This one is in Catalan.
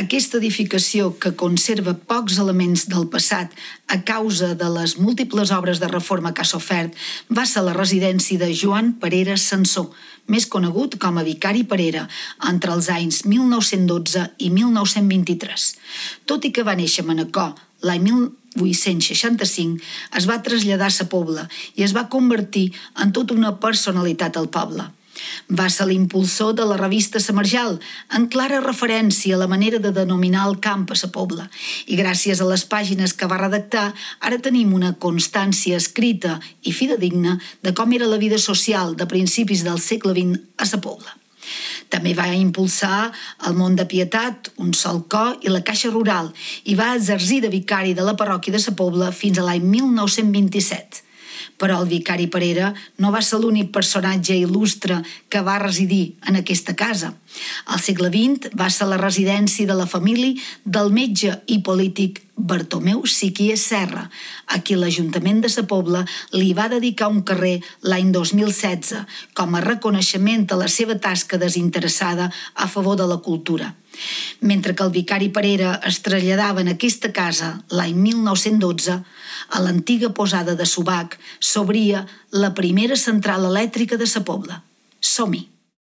Aquesta edificació, que conserva pocs elements del passat a causa de les múltiples obres de reforma que ha sofert, va ser la residència de Joan Parera Sansó, més conegut com a Vicari Parera, entre els anys 1912 i 1923. Tot i que va néixer a Manacor l'any 1865, es va traslladar a Sa Pobla i es va convertir en tota una personalitat al poble. Va ser l'impulsor de la revista Sa Marjal, en clara referència a la manera de denominar el camp a Sa Pobla, i gràcies a les pàgines que va redactar, ara tenim una constància escrita i fidedigna de com era la vida social de principis del segle XX a Sa Pobla. També va impulsar el Mont de Pietat, Un Sol Cor i la Caixa Rural, i va exercir de vicari de la parròquia de Sa Pobla fins a l'any 1927. Però el vicari Parera no va ser l'únic personatge il·lustre que va residir en aquesta casa. Al segle XX va ser la residència de la família del metge i polític Bartomeu Siquier Serra, a qui l'Ajuntament de Sa Pobla li va dedicar un carrer l'any 2016 com a reconeixement a la seva tasca desinteressada a favor de la cultura. Mentre que el vicari Parera es traslladava en aquesta casa l'any 1912, a l'antiga posada de Subac s'obria la primera central elèctrica de Sa Pobla. Som-hi!